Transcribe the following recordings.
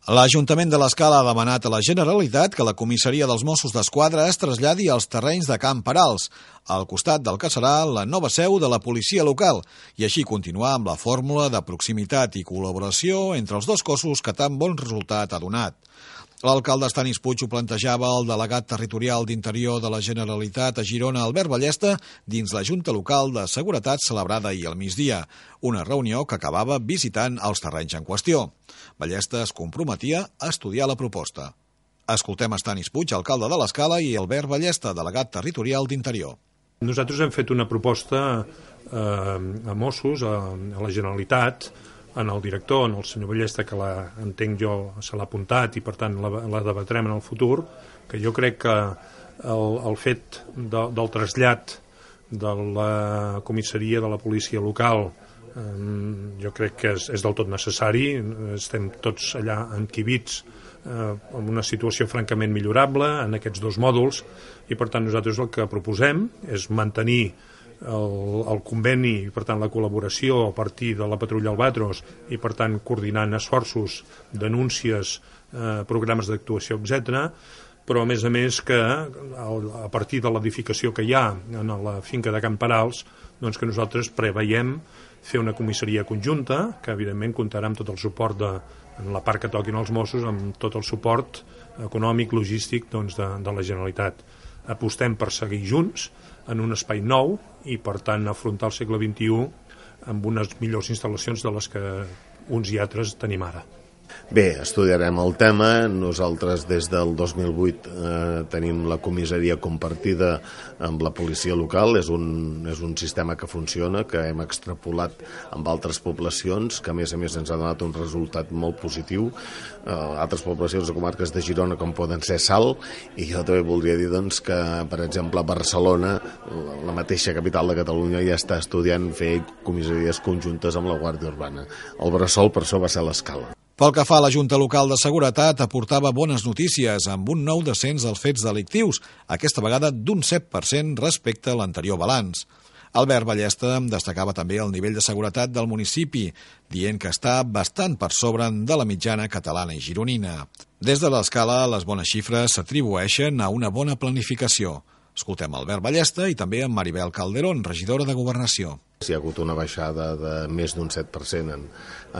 L'Ajuntament de l'Escala ha demanat a la Generalitat que la comissaria dels Mossos d'Esquadra es traslladi als terrenys de Can Perals, al costat del que serà la nova seu de la policia local, i així continuar amb la fórmula de proximitat i col·laboració entre els dos cossos que tan bon resultat ha donat. L'alcalde Estanis Puig ho plantejava al delegat territorial d'Interior de la Generalitat a Girona, Albert Ballesta, dins la Junta Local de Seguretat celebrada ahir al migdia, una reunió que acabava visitant els terrenys en qüestió. Ballesta es comprometia a estudiar la proposta. Escoltem Estanis Puig, alcalde de l'Escala, i Albert Ballesta, delegat territorial d'Interior. Nosaltres hem fet una proposta a Mossos, a la Generalitat, en el director, en el senyor Ballesta, que entenc jo se l'ha apuntat i per tant la debatrem en el futur, que jo crec que el fet del trasllat de la comissaria de la policia local jo crec que és del tot necessari. Estem tots allà enquibits en una situació francament millorable en aquests dos mòduls i per tant nosaltres el que proposem és mantenir el conveni i per tant la col·laboració a partir de la patrulla Albatros i per tant coordinant esforços, denúncies, programes d'actuació, etc. Però a més que a partir de l'edificació que hi ha en la finca de Can Perals, doncs que nosaltres preveiem fer una comissaria conjunta que evidentment comptarà amb tot el suport en la part que toquin els Mossos, amb tot el suport econòmic, logístic de la Generalitat. Apostem per seguir junts en un espai nou i per tant afrontar el segle XXI amb unes millors instal·lacions de les que uns i altres tenim ara. Bé, estudiarem el tema. Nosaltres des del 2008 tenim la comissaria compartida amb la policia local. És un sistema que funciona, que hem extrapolat amb altres poblacions, que a més ens ha donat un resultat molt positiu. Altres poblacions de comarques de Girona com poden ser Salt, i jo també voldria dir doncs, que, per exemple, a Barcelona, la mateixa capital de Catalunya, ja està estudiant fer comissaries conjuntes amb la Guàrdia Urbana. El bressol per això va ser l'Escala. Pel que fa a la Junta Local de Seguretat, aportava bones notícies amb un nou descens dels fets delictius, aquesta vegada d'un 7% respecte a l'anterior balanç. Albert Ballesta destacava també el nivell de seguretat del municipi, dient que està bastant per sobre de la mitjana catalana i gironina. Des de l'Escala, les bones xifres s'atribueixen a una bona planificació. Escoltem Albert Ballesta i també en Maribel Calderón, regidora de Governació. Hi ha hagut una baixada de més d'un 7%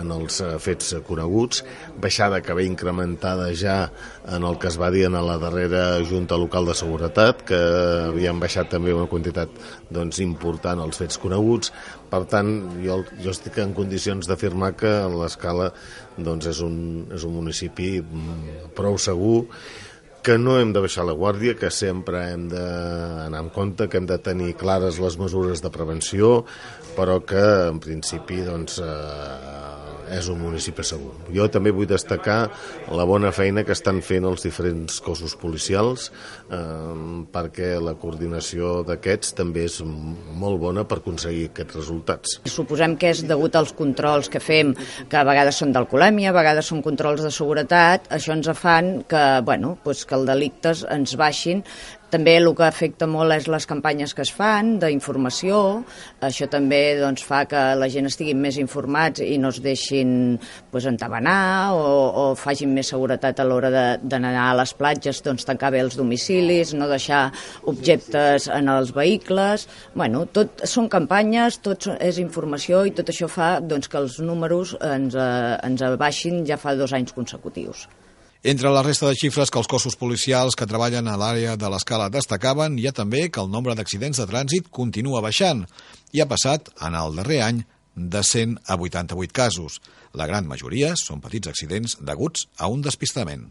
en els fets coneguts, baixada que ve incrementada ja en el que es va dir en la darrera Junta Local de Seguretat, que havien baixat també una quantitat important els fets coneguts. Per tant, jo estic en condicions d'afirmar que l'Escala és un municipi prou segur, que no hem de baixar la guàrdia, que sempre hem d'anar en compte, que hem de tenir clares les mesures de prevenció, però que en principi és un municipi segur. Jo també vull destacar la bona feina que estan fent els diferents cossos policials, perquè la coordinació d'aquests també és molt bona per aconseguir aquests resultats. Suposem que és degut als controls que fem, que a vegades són d'alcoholèmia, a vegades són controls de seguretat. Això ens fan que els delictes ens baixin. També el que afecta molt és les campanyes que es fan d'informació. Això també fa que la gent estigui més informats i no es deixin entabanar o facin més seguretat a l'hora d'anar a les platges, tancar bé els domicilis, no deixar objectes en els vehicles. Tot són campanyes, tot és informació i tot això fa que els números ens baixin ja fa 2 anys consecutius. Entre la resta de xifres que els cossos policials que treballen a l'àrea de l'Escala destacaven, hi ha també que el nombre d'accidents de trànsit continua baixant i ha passat, en el darrer any, de 100 a 88 casos. La gran majoria són petits accidents deguts a un despistament.